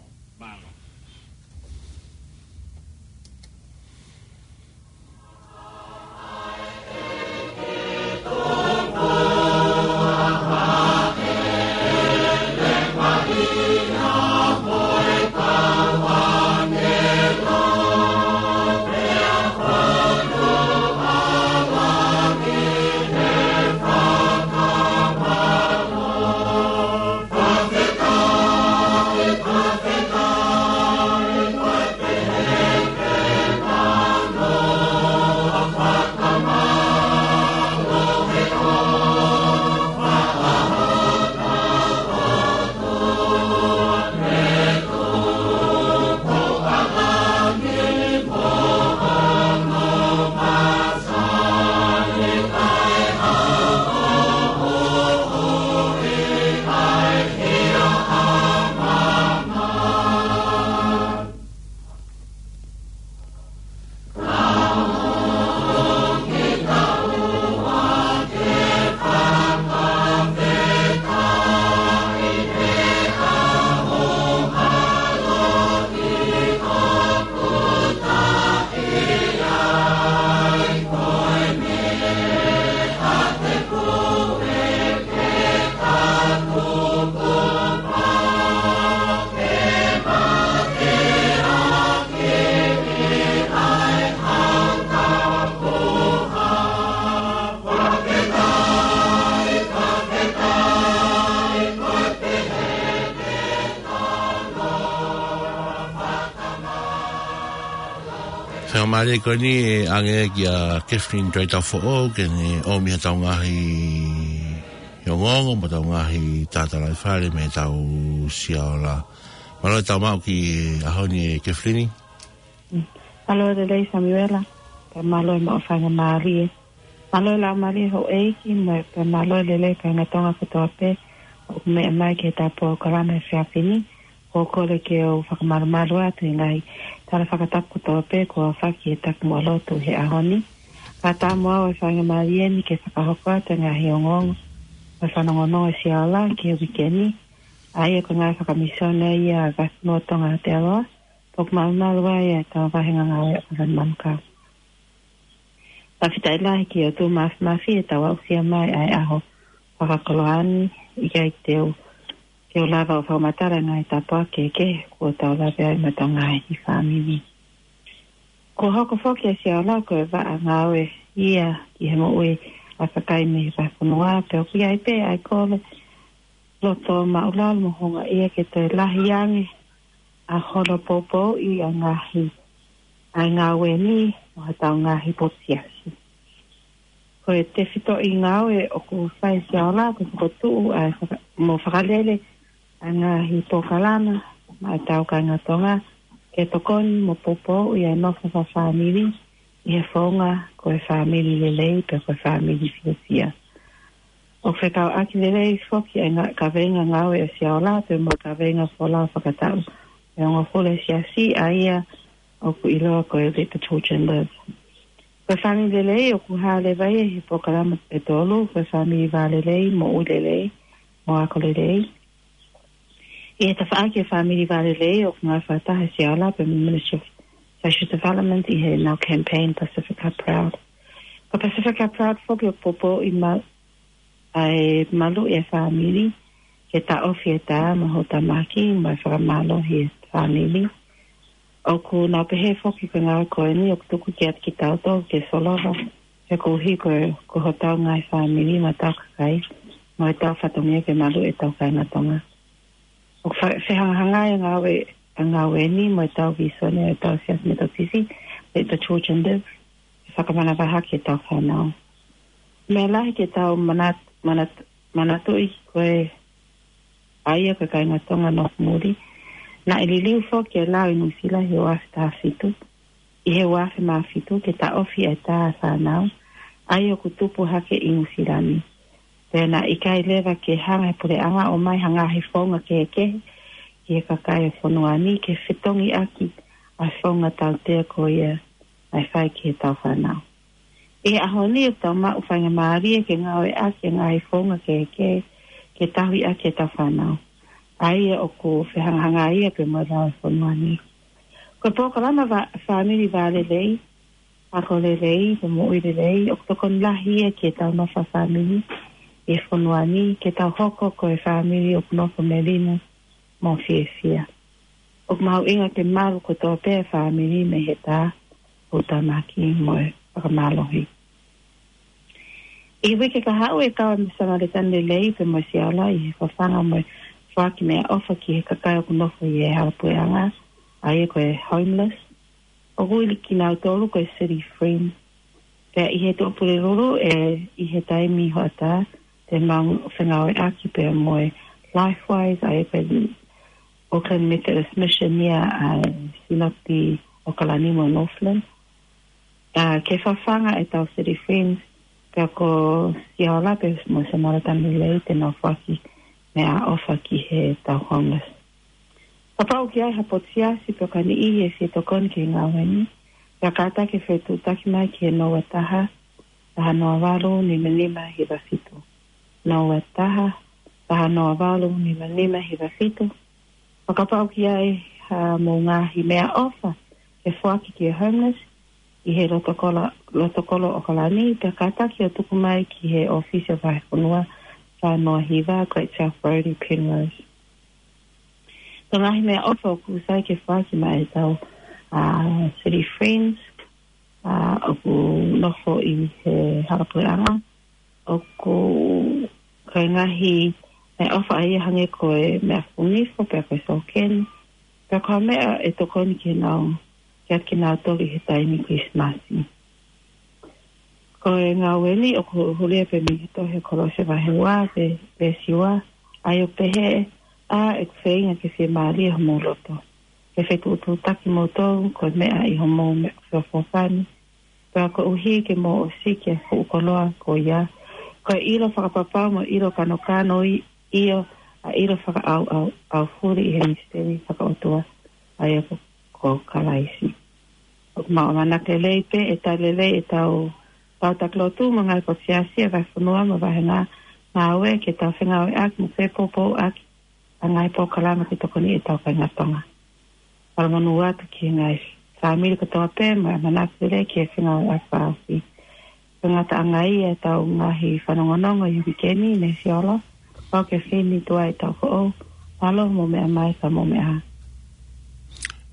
Faingamālie ko eni ʻe ʻange kia Kathleen Tuaitaufoʻou ke ne ʻomi haʻatau ngaahi ongoongo mo ʻetau ngaahi tala fale mei heʻetau Siaola. Mālō e tau maʻu ki he ʻaho ni ʻe Kathleen. Mālō e lelei Samiuela, pea mālō e maʻu faingamālie. Mālō e laumālie houʻeiki, mo e pea mālō e lelei kāinga Tonga kotoa pē ʻoku meʻa mai ki heʻetau polokalama he efiafi ni. ʻOku ou kole ke u fakamalumalu atu he ngaahi tala fakatapu kotoa pē kuo aofaki he takimuʻa lotu he ʻaho ni. Fakatamu au e faingamālie ni ke fakahoko atu e ngaahi ongoongo ʻo e fanongonongo Siaola ki he uike ni, ʻa ia ko e ngaahi fakamisiona ia ʻa e Vahefonua Tonga Aotearoa, pea ʻoku malumalu ai ʻetau vahenga ngāue ʻa Kavani Manukau. Fakafetaʻi lahi ki he ʻOtua Mafimafi ʻetau aʻusia mai ʻa e ʻaho fakakoloa ni, ʻikai te u, ke u lava ʻo fakamatala e ngaahi tāpuaki kehekehe kuo tau lave ai mo ʻetau ngaahi fāmili. Kuo hoko foki ʻa Siaola ko e vaʻa ngāue ia ki he moʻui ʻa e kakai mei he vahefonua, pea ʻoku ʻi ai pē ʻa e kole loto maʻulalo mo houngaʻia ke toe lahi ange ʻa hono poupouʻi ʻa e ngaahi, ʻa e ngāue ni mo hotau ngaahi potu siasi. Ko e tefitoʻi ngāue ʻoku fai ʻe Siaola ko e fokotuʻu ʻa e faka-, mo fakalele ʻa e ngaahi polokalama maʻa ʻetau kāinga Tonga ke tokoni mo poupouʻi ʻa e nofo fakafāmili ʻi he founga ko e fāmili lelei pe ko e fāmili fiefia. ʻOku fekauʻaki lelei foki ʻa e ngaahi kaveinga ngāue ʻa Siaola pea mo e kaveinga folau fakataʻu ʻe hongofulu ʻa e siasi, ʻa ia ʻoku ʻiloa ko e Let the Children Live. Ko e fāmili lelei ʻoku hā leva ia ʻi he polokalama ʻe tolu, ko e fāmili vālelei, moʻui lelei, mo ako lelei. ʻI he tafaʻaki e fāmili vālelei ʻoku ngāue fakataha ʻa Siaola pea mo e Ministry of Social Development ʻi heʻenau campaign Pasifika Proud. Ko Pasifika Proud foki ʻoku poupouʻi ma-, ʻa e maluʻi e fāmili, ke taʻofi e tā mo e houtāmaki, mo e fakamālohi e fāmili. ʻOku nau pehē foki ko e ngāue ko eni ʻoku tuku kiate kitautolu ke solova, he koeʻuhi ko, ko hotau ngaahi fāmili mo hotau kakai, mo ʻetau fatongia ke maluʻi ʻetau kāinga Tonga. ʻOku fa-, fehangahangai e ngāue, e ngāue ni mo ʻetau vīsone ʻetau siasi metotisi, Let the Children Live, ʻe fakamanavahē ki heʻetau fānau. Meʻa lahi ke tau manat-, manat-, manatuʻi ko e ʻa ia ko e kāinga Tonga nofo muli. Naʻe liliu foki e lao ʻi Nuʻusila he uaafe taha fitu, ʻi he uaafe mā fitu ke taʻofi e tā ʻa e fānau, ʻa ia ʻoku tupu hake ʻi Nuʻusila ni. Pea naʻe ʻikai leva ke hanga he puleʻanga ʻo ʻomai ha ngaahi founga kehekehe ki he kakai e fonua ni ke fetongi ʻaki ʻa e founga tautea ko ia ʻa e fai ki heʻetau fānau. ʻI he ʻaho ni ʻoku tau maʻu faingamālie ke ngāueʻaki e ngaahi founga kehekehe ke tauhi ʻaki ʻetau fānau, ʻa ia ʻoku fehangahangai ia pea mo e lao e fonua ni. Ko e polokalama va-, fāmili vālelei, ako lelei, mo moʻui lelei, ʻoku tokoni lahi ia ki heʻetau nofo fakafāmili ʻi he fonua ni, ke tau hoko ko e fāmili ʻoku nofo melino mo fiefia. ʻOku mahuʻinga ke malu kotoa pē e fāmili mei he tā, houtāmaki mo e fakamālohi. ʻI he uike kahaʻu ʻe kau ai mo e Samaletani Lelei pea mo Siaola ʻi he fafanga mo e foaki meʻaʻofa ki he kakai ʻoku nofo ʻi he hala puleʻanga, ʻa ia ko e homeless. ʻOku ui kinautolu ko e City Friends. Pea ʻi he Tuʻapulelulu ē, ʻi he taimi hoʻatā, te mau fengāueʻaki pea mo e Lifewise, ʻa ia ko e Auckland Methodist Mission ia ʻa e Sinopi ʻAokalani mo Northland. ʻA, ke fafanga ʻetau City Friends, pea ko Siaola pea mo e Samaletani Lelei te nau foaki meʻaʻofa ki heʻetau homeless. Kapau ʻoku ʻi ai ha potu siasi pe ko ha niʻihi ʻe fie tokoni ki he ngāue ni, pea kātaki ke fetuʻutaki mai ki he noa taha, taha noa valu, nima nima hiva fitu. Noa taha, taha noa valu, nima nima hiva fitu. Pea kapau ʻoku ʻi ai haʻamou ngaahi meʻaʻofa ke foaki ki he homeless, ʻi he loto kolo, loto kolo ʻAokalani, pea kātaki ʻo tuku mai ki he ʻōfisi ʻo e Vahefonua fā noa hiva, Great South Road ʻi Penrose. Ko e ngaahi meʻaʻofa ʻoku sai ke foaki maʻa ʻetau, ʻa, City Friends, ʻa, ʻoku nofo ʻi he hala puleʻanga, ʻoku, ko e ngaahi meʻaʻofa ia hangē ko e meʻafuʻu nifo, pea ko e sōkeni, pea ko ha meʻa ʻe tokoni ke nau, kiate kinautolu ʻi he taimi Kilisimasi. Ko e ngāue ni ʻoku hū-, hū ia pē mei he tohi Kolose vahe ua, veesi ua, ʻa ia ʻoku pehē, ʻa ʻeku feinga ke fiemālie homou loto, ke fetuʻutuʻutaki kimoutolu ko e meʻa ʻi homou meʻa feʻofoʻofani, pea koeʻuhi ke mou ʻosiki e fuʻu koloa ko ia, ko e ʻilo fakapapau mo e ʻilo kanokano ʻi, ʻio, ʻa e ʻilo fakaʻauʻau, ʻaufuli ʻi he misiteli fakaʻotua, ʻa ia ko, ko Kalaisi. ʻOku mau ʻamanaki lelei pē ʻe tali lelei ʻetau Pau taklotū mo e ngaahi potu siasi ʻa e vahefonua mo e vāhenga ngāue ke tau fengāueʻaki mo fepoupouʻaki ʻa e ngaahi polokalama ke tokoni ʻetau kāinga Tonga. Fakamonū atu ki he ngaahi fāmili kotoa pē mo e ʻamanaki lelei ki he fengāueʻaki fakaʻosi. Ko e ngataʻanga ia ʻetau ngaahi fanongonongo ʻi he uike ni, Nesiolo. Pau Kefini, tuai ʻetau foʻou. Mālō mo meʻa mai ka mo meʻa.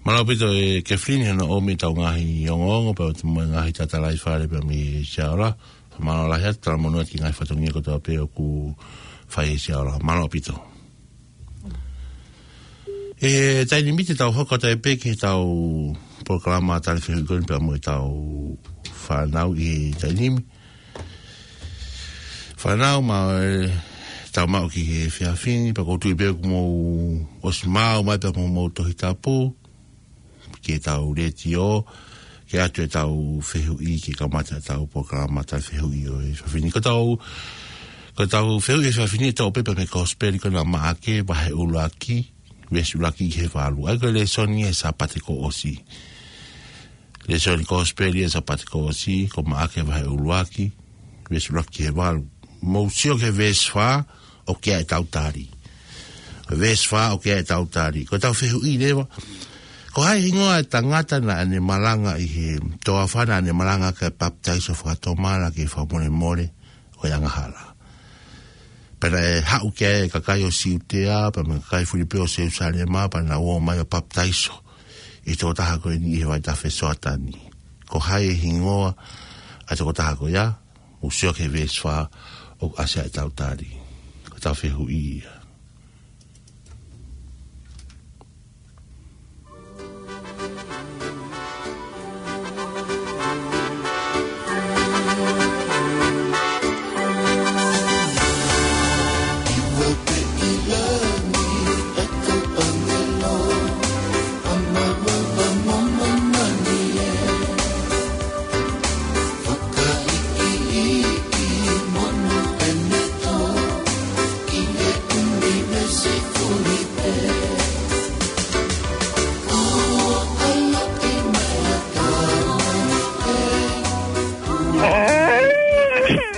Mālō ʻaupito ʻe Kefini hono ʻomi ʻetau ngaahi ongoongo pea mo e ngaahi tatalaifale pea mei Siaola. Mālō lahi atu, talamonū atu ki he ngaahi fatongia kotoa pē ʻoku fai ʻe Siaola. Mālō ʻaupito. ʻE taimi ni te tau hoko atu ai pē ki heʻetau polokalama talafehuʻi ko eni pea mo ʻetau fānau ʻi he taimi ni. Fānau, ma, ʻe, tau maʻu ki he efiafi ni, pea ʻoku ou tui pē ʻoku mou ʻosi maʻu mai pea mo hoʻomou Tohi Tapu ki heʻetau letiō, ke ʻoatu ʻetau fehuʻi ke kamata ʻetau polokalama talafehuʻi ʻo e efiafi ni. Ko ʻetau, ko ʻetau fehuʻi ʻo e efiafi ni ʻe toʻo pē mei he Kosipeli ko ena ʻa Maʻake, vahe ʻuluaki, veesi ʻuluaki ki he valu. ʻA ia ko e lēsoni ʻo e Sāpate kuo ʻosi. Lēsoni Kosipeli ʻo e Sāpate kuo ʻosi, ko Maʻake vahe ʻuluaki, veesi ʻuluaki ki he valu. Mou sio ki he veesi fā, ʻoku ʻi ai ʻetau tali. Veesi fā, ʻoku ʻi ai ʻetau tali. Ko ʻetau fehuʻi leva, ko hai hingoa e tangata naʻa ne malanga ʻi he toafa naʻa ne malanga ki he papitaiso fakatomala ki he fakamolemole ʻo e angahala. Pea naʻe haʻu ki ai e kakai ʻo Siutea, pea mo e kakai fulipē ʻo Selusalema, pea nau ō mai ʻo papitaiso ʻi he tokotaha ko eni ʻi he vaitafe Soatani. Ko hai e hingoa ʻa e tokotaha ko ia? Mou sio ki he veesi fā ʻoku ʻasi ai ʻetau tali. Ko ʻetau fehuʻi ia.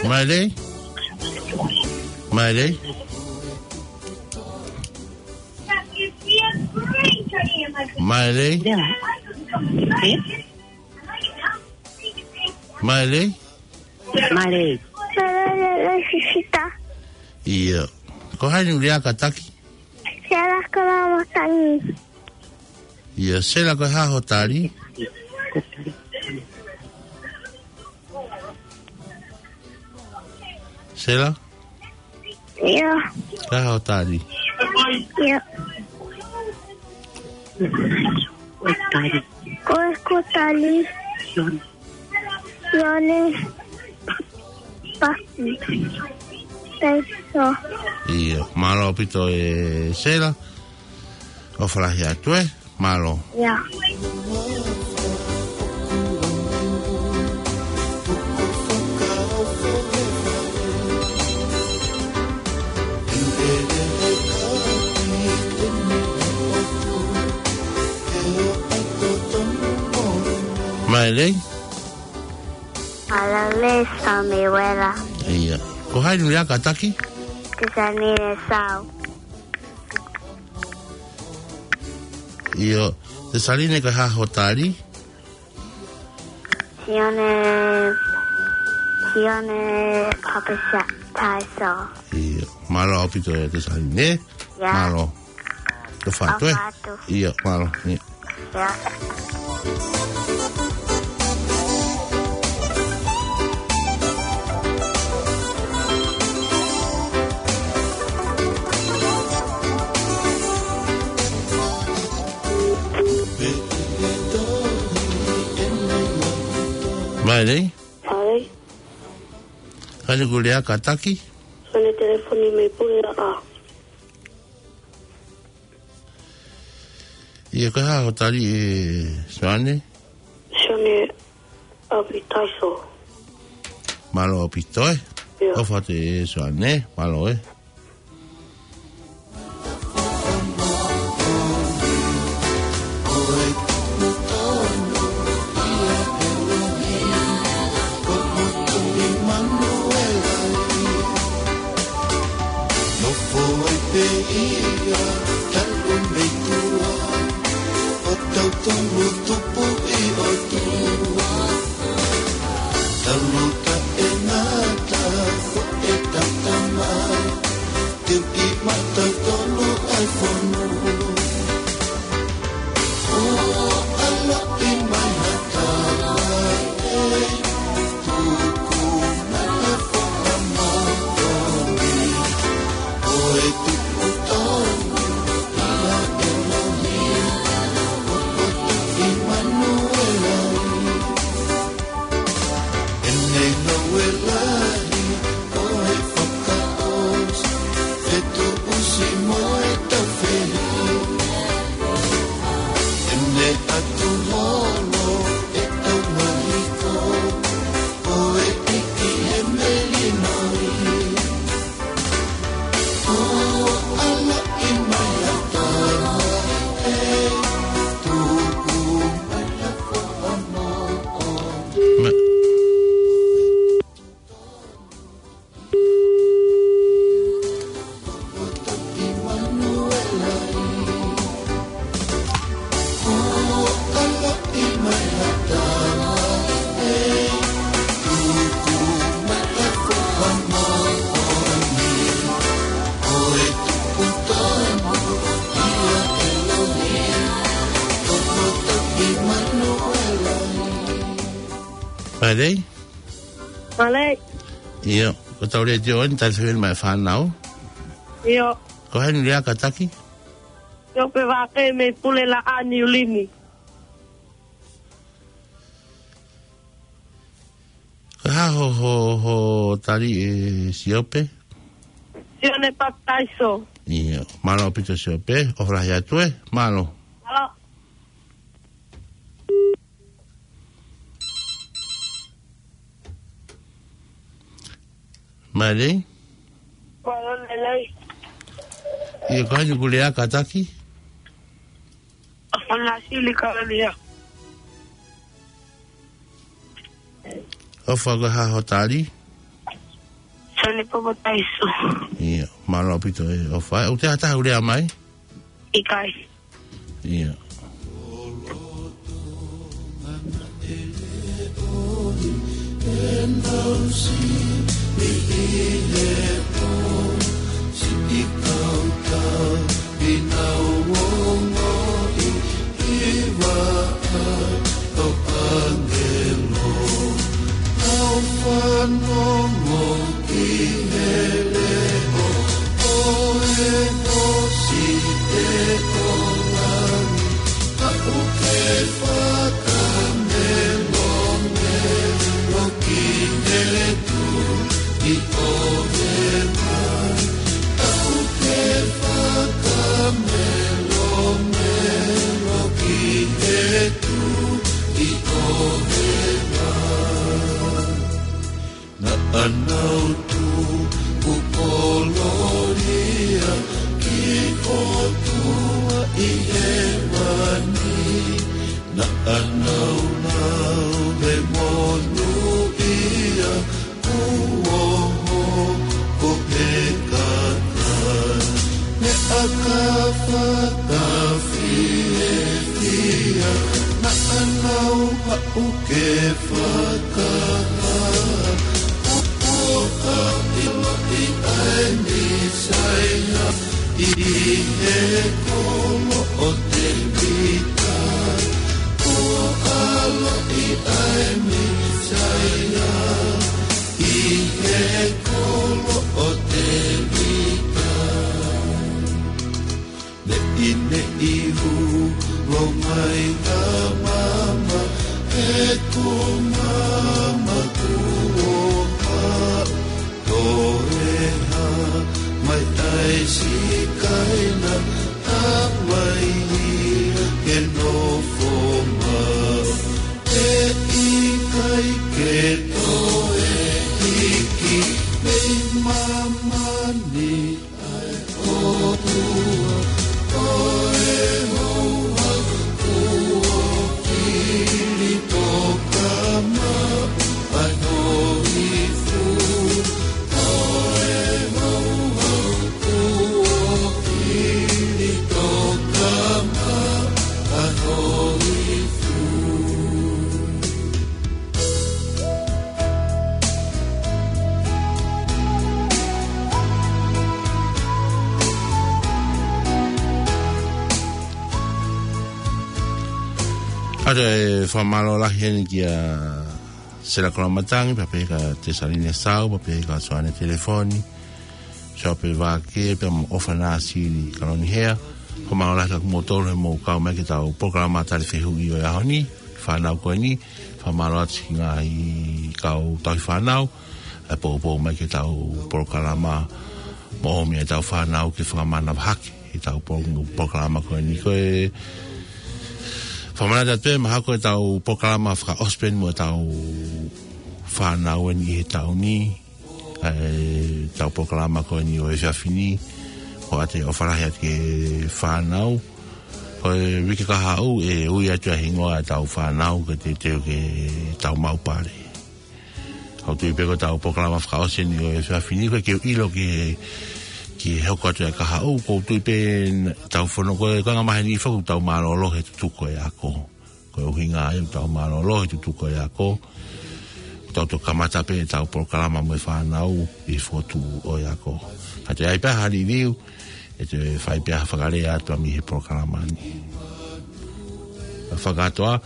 Maile? Maile? Maile? Maile? Maile. Maile, sisita. ʻIo. Ko hai hono lea kātaki? Sela Kalamotangi. ʻIo, Sela, ko e hā hoʻo tali? Sela? ʻIo. Ko e hā hoʻo tali? ʻIo. Ko e tali. Ko e, ko e tali. Sione. Sione. Paki. Taiso. ʻIo, mālō ʻaupito ʻe Sela. ʻOfa lahi atu ē. Mālō. ʻIo. Maile? Maile, Samuela. ʻIo. Ko hai hono lea kātaki? Tesanine Sau. ʻIo, Tesanine, ko e hā hoʻo tali? Sione, Sione Papitaiso. ʻIo, mālō ʻaupito ʻe Tesanine. ʻIo. Mālō. ʻOfa atu ē. ʻOfa atu. ʻIo, mālō. ʻIo. ʻIo. Maile? Maile. Ko hai hono lea kātaki? Ko ʻene telefoni mei Puleʻaʻa. ʻIo, ko e hā hoʻo tali ʻe Sione? Sione Papitaiso. Mālō ʻaupito ē. ʻIo. ʻOfa atu ʻe Sione, mālō ē. Ia, talu mei tuʻa, ʻo tautolu tupu ʻi ʻOtua. Talu taʻengata, ko e tata mai, teu ʻi mata tolu ai fonu. ʻO ala ʻi mai hata mai, tuku mai ha foʻa moʻoni, ʻo e tupu tonu, ʻia ʻElohim, ʻo ko e tuʻi Manuela. ʻEne ngāue lahi, ko e fakaʻosi, fetuʻusi mo e taufehiʻa. ʻEne ʻatu holo, ʻe tau mahiko, ko e ʻEiki he melino. Mālō. Mālō. ʻIo, ko e tau letiō ni, tau fēfē mai fānau. ʻIo. Ko hai ʻoku lea kātaki? ʻIo, pē vake mei Pulelaʻā Niulini. Ko e hā ho, ho, ho tali ʻe Siope? Sione Papitaiso. ʻIo, mālō ʻaupito Siope, ʻofa lahi atu ē, mālō. Mālō. Mālō. Mālō, lelei. ʻIo, ko hai ʻoku lea kātaki? ʻOfa Lasili Kalalia. ʻOfa, ko e hā ho tali? Sione Papitaiso. ʻIo, mālō ʻaupito ē, ʻofa. ʻOku ʻi ai ha taha ʻoku lea mai? ʻIkai. ʻIo. Fanongo ki he leʻo ʻo e Siʻi ʻo Langi, ka ʻoku ke fakamelomelo ki he Tuʻi ʻo e Vai, ka ʻoku ke fakamelomelo ki he Tuʻi ʻo e Vai. Naʻa nau tuku kololia ki he ʻOtua ʻi hēvani. Naʻa nau lau he monūʻia kuo hoko e kakai. Meʻa ka fakafiefia, naʻa nau haʻu ke fakahā. Kuo ʻiloʻi ʻa e Mīsaia ʻi he kolo ʻo Tēvita. Kuo ʻiloʻi ʻa e Mīsaia ʻi he kolo ʻo Tēvita. Neʻineʻi hū longai ʻa mama, he ko mama kuo haʻu. Toe hā mai ʻa e Sikaina, haʻu mai ia ke nofo maʻu. He ʻikai ke toe hiki mei māmani ʻa e ʻOtua, ko e houhau kuo fili toka maʻu ʻa e hōifu. Ko e houhau kuo ʻA ia ʻe fakamālō lahi heni kia Sela Koloamatangi, pea pehē kia Tesalina Sau, pea pehē kia Soane Telefoni, Sope Vake, pea mo ʻOfana Sili Kalonihea. Fakamālō lahi kia kimoutolu he mou kau mai ki heʻetau polokalama tali fehuʻi ʻo e ʻaho ni, fānau ko eni, fakamālō atu ki he ngaahi kau tauhi fānau, ʻa e poupou mai ki heʻetau polokalama mo ʻomi ʻetau fānau ke fakamanavahaki ʻetau po-, polokalama ko eni. Ko e fakamanatu atu pē, mahalo ko ʻetau polokalama fakaʻosi pē eni mo ʻetau fānau eni he taʻu ni, ʻa ʻetau polokalama ko eni ʻo e efiafi ni, ʻoku ʻoatu e ʻofa lahi atu ki he fānau. Ko e uike kahaʻu ʻe ui atu ʻa e hingoa ʻetau fānau ke teuteu ke tau maʻu pale. ʻOku ou tui pē ko ʻetau polokalama fakaʻosi eni ʻo e efiafi ni, ko e ke ʻilo ki, ki he hoko atu e kahaʻu, ʻoku ou tui pē ʻetau fono ko e, ko e anga maheni foki ʻoku tau mālōlō he tutuku e ako. Ko e ʻuhinga ia ʻoku tau mālōlō he tutuku e ako, ʻoku tau toki kamata pē ʻetau polokalama mo e fānau ʻi he fokotuʻu ʻo e ako. Ka toe ʻi ai pē ha liliu, ʻe toe fai pē ha fakalea atu mei he polokalama ni. Fakakātoa,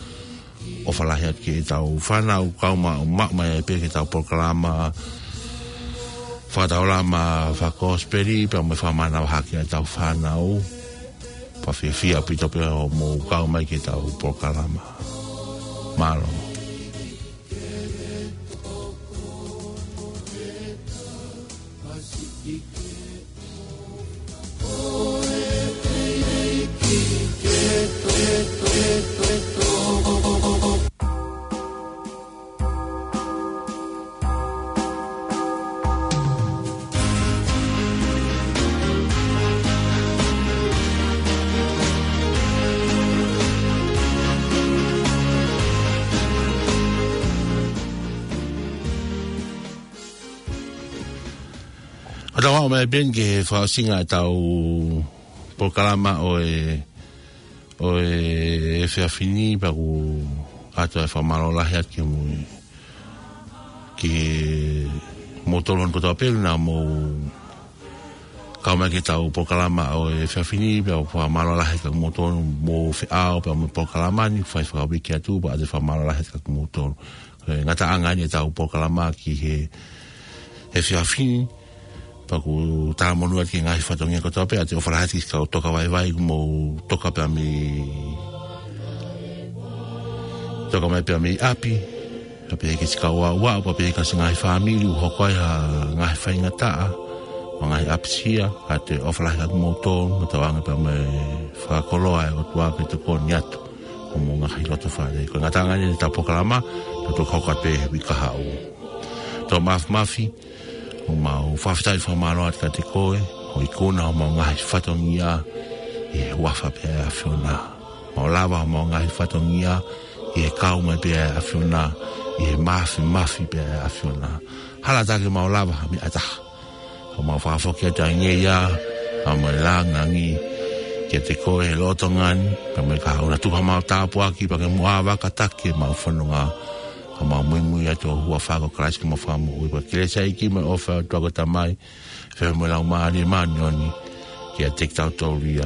ʻofa lahi atu ki heʻetau fānau kau ma-, maʻu mai pē ki heʻetau polokalama fakataulama fakakosipeli, pea mo e fakamanavahaki ʻetau fānau. Pea fiefia ʻaupito pē hoʻomou kau mai ki heʻetau polokalama. Mālō. ʻOku tau aʻu mai pē eni ki he fakaʻosinga ʻetau polokalama ʻo e, ʻo e efiafi ni, pea ʻoku ʻoatu e fakamālō lahi atu ki he mui, ki heʻemou tolon kotoa pē naʻa mou kau mai ki heʻetau polokalama ʻo e efiafi ni, pea ʻoku fakamālō lahi kia kimoutolu hoʻomou feʻao pea mo e polokalama ni, fai fakauike atu, pea ʻoatu e fakamālō lahi kia kimoutolu. Ko e ngataʻanga eni ʻetau polokalama ki he, he efiafi ni, pea ʻoku talamonū atu ki he ngaahi fatongia kotoa pē, ʻoatu e ʻofa lahi atu ki he kau toka vaivai kuo mou toka pē mei, toka mai pē mei ʻapi, pea pehē ki he siʻi kau aʻuaʻu, pea pehē ki he siʻi ngaahi fāmili ʻoku hoko ai ha ngaahi faingataʻa mo e ngaahi ʻapisia, ʻoatu e ʻofa lahi kia kimoutolu, mo tauange pē mo e fakakoloa ʻa e ʻOtua ke tokoni atu ki hoʻomou ngaahi loto fale. Ko e ngataʻanga eni ʻetau polokalama, tau toki hoko atu pē he uike kahaʻu. Toa Mafimafi, ʻoku mau fakafetaʻi fakamālō atu kiate koe, hoʻo ikuna homau ngaahi fatongia ʻi he huafa pē ʻa e ʻAfiona. Mau lava homau ngaahi fatongia ʻi he kau mai pē ʻa e ʻAfiona, ʻi he mafimafi pē ʻa e ʻAfiona. Hala atu ke mau lava ha meʻa ʻe taha. ʻOku mau fakafoki atu ʻa e ngeia, pea mo e langilangi kiate koe he lolotonga ni, pea mo e kahaʻu, ʻoua naʻa tuku haʻamau tāpuaki, pea ke mou ʻāvaka taki ʻemau fononga, ka mau muimui atu ʻi he huafa ko Kalaisi ko homau Fakamoʻui. Ko e kelesi ʻa e ʻEiki mo e ʻofa ʻa e ʻOtua ko e Tamai, feohi mo e Laumālie Māʻoniʻoni, kiate kitautolu ia.